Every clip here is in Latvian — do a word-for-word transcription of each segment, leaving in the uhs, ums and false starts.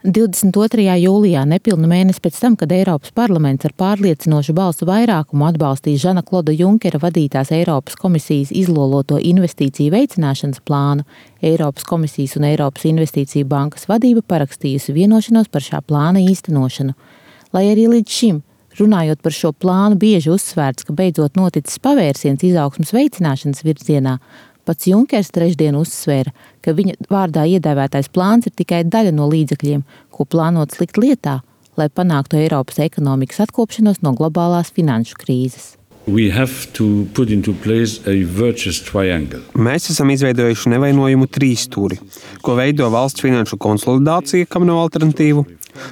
divdesmit otrajā jūlijā, nepilnu mēnesi pēc tam, kad Eiropas parlaments ar pārliecinošu balsu vairākumu atbalstīja Žana Kloda Junkera vadītās Eiropas komisijas izloloto investīciju veicināšanas plānu, Eiropas komisijas un Eiropas investīciju bankas vadība parakstījusi vienošanos par šā plāna īstenošanu. Lai arī līdz šim, runājot par šo plānu, bieži uzsvērts, ka beidzot noticis pavērsiens izaugsmes veicināšanas virzienā, pats Junkers trešdien uzsvēra, ka viņa vārdā iedēvētais plāns ir tikai daļa no līdzekļiem, ko plānots likt lietā, lai panāktu Eiropas ekonomikas atkopšanos no globālās finanšu krīzes. We have to put into place a virtuous triangle. Mēs esam izveidojuši nevainojumu trīsstūri, ko veido valsts finanšu konsolidācija, kam nav alternatīvu,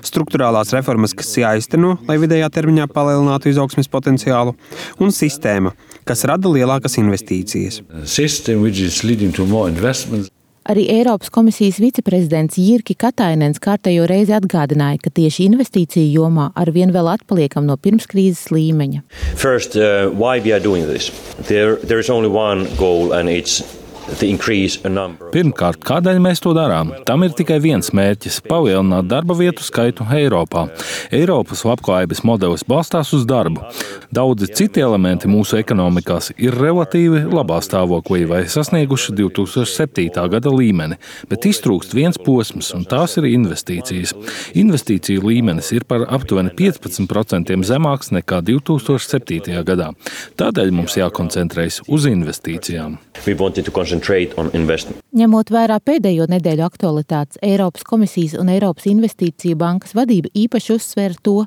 strukturālās reformas, kas jāizteno, lai vidējā termiņā palielinātu izaugsmes potenciālu, un sistēma, kas rada lielākas investīcijas. System which is leading to more investments. Arī Eiropas komisijas viceprezidents Jirki Katainens kārtējo reizi atgādināja, ka tieši investīciju jomā arvien vēl atpaliekam no pirmskrīzes līmeņa. First, uh, why we are doing this? There, there is only one goal and it's Pirmkārt, kādēļ mēs to darām? Tam ir tikai viens mērķis – palielināt darba vietu skaitu Eiropā. Eiropas labklājības modelis balstās uz darbu. Daudzi citi elementi mūsu ekonomikās ir relatīvi labā stāvoklī vai sasnieguši divi tūkstoši septītā gada līmeni, bet iztrūkst viens posms, un tās ir investīcijas. Investīciju līmenis ir par aptuveni piecpadsmit procentiem zemāks nekā divi tūkstoši septītajā gadā. Tādēļ mums jākoncentrējas uz investīcijām. Ņemot vērā pēdējo nedēļu aktualitātes, Eiropas komisijas un Eiropas investīciju bankas vadība īpaši uzsvēra to,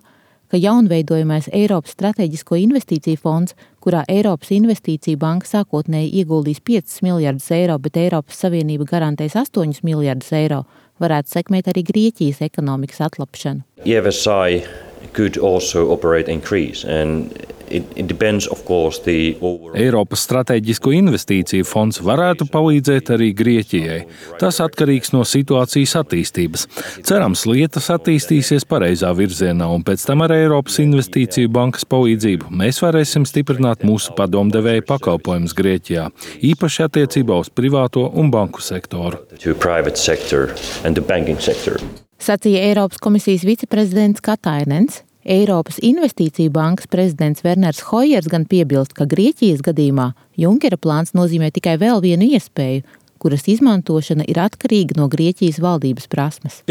ka jaunveidojamais Eiropas strateģisko investīciju fonds, kurā Eiropas investīciju banka sākotnēji ieguldīs piecus miljardus eiro, bet Eiropas Savienība garantēs astoņus miljardus eiro, varētu sekmēt arī Grieķijas ekonomikas atlapšanu. E F S I could also operate in Greece and It, it depends, of course, the overall... Eiropas strateģisko investīciju fonds varētu palīdzēt arī Grieķijai. Tas atkarīgs no situācijas attīstības. Cerams, lietas attīstīsies pareizā virzienā, un pēc tam ar Eiropas investīciju bankas palīdzību mēs varēsim stiprināt mūsu padomdevēju pakalpojumus Grieķijā, īpaši attiecībā uz privāto un banku sektoru. Sacīja Eiropas komisijas viceprezidents Katainens. Eiropas investīciju bankas prezidents Werners Hojers gan piebilst, ka Grieķijas gadījumā Junkera plāns nozīmē tikai vēl vienu iespēju, kuras izmantošana ir atkarīga no Grieķijas valdības prasmes.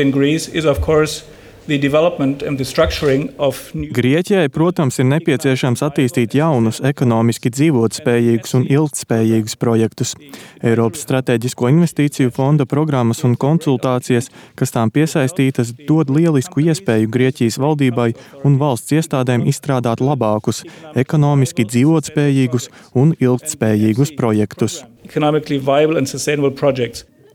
Grieķijai, protams, ir nepieciešams attīstīt jaunus, ekonomiski dzīvotspējīgus un ilgtspējīgus projektus. Eiropas strateģisko investīciju fonda programmas un konsultācijas, kas tām piesaistītas, dod lielisku iespēju Grieķijas valdībai un valsts iestādēm izstrādāt labākus, ekonomiski dzīvotspējīgus un ilgtspējīgus projektus.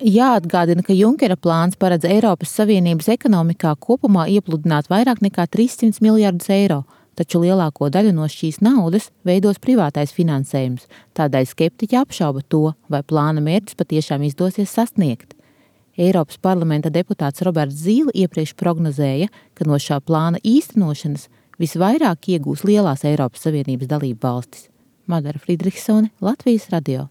Jāatgādina, ka Junkera plāns paredz Eiropas Savienības ekonomikā kopumā iepludināt vairāk nekā trīssimts miljardus eiro, taču lielāko daļu no šīs naudas veidos privātais finansējums. Tādēļ skeptiķi apšauba to, vai plāna mērķus patiešām izdosies sasniegt. Eiropas parlamenta deputāts Roberts Zīle iepriekš prognozēja, ka no šā plāna īstenošanas visvairāk iegūs lielās Eiropas Savienības dalību valstis. Madara Friedrichsone, Latvijas radio.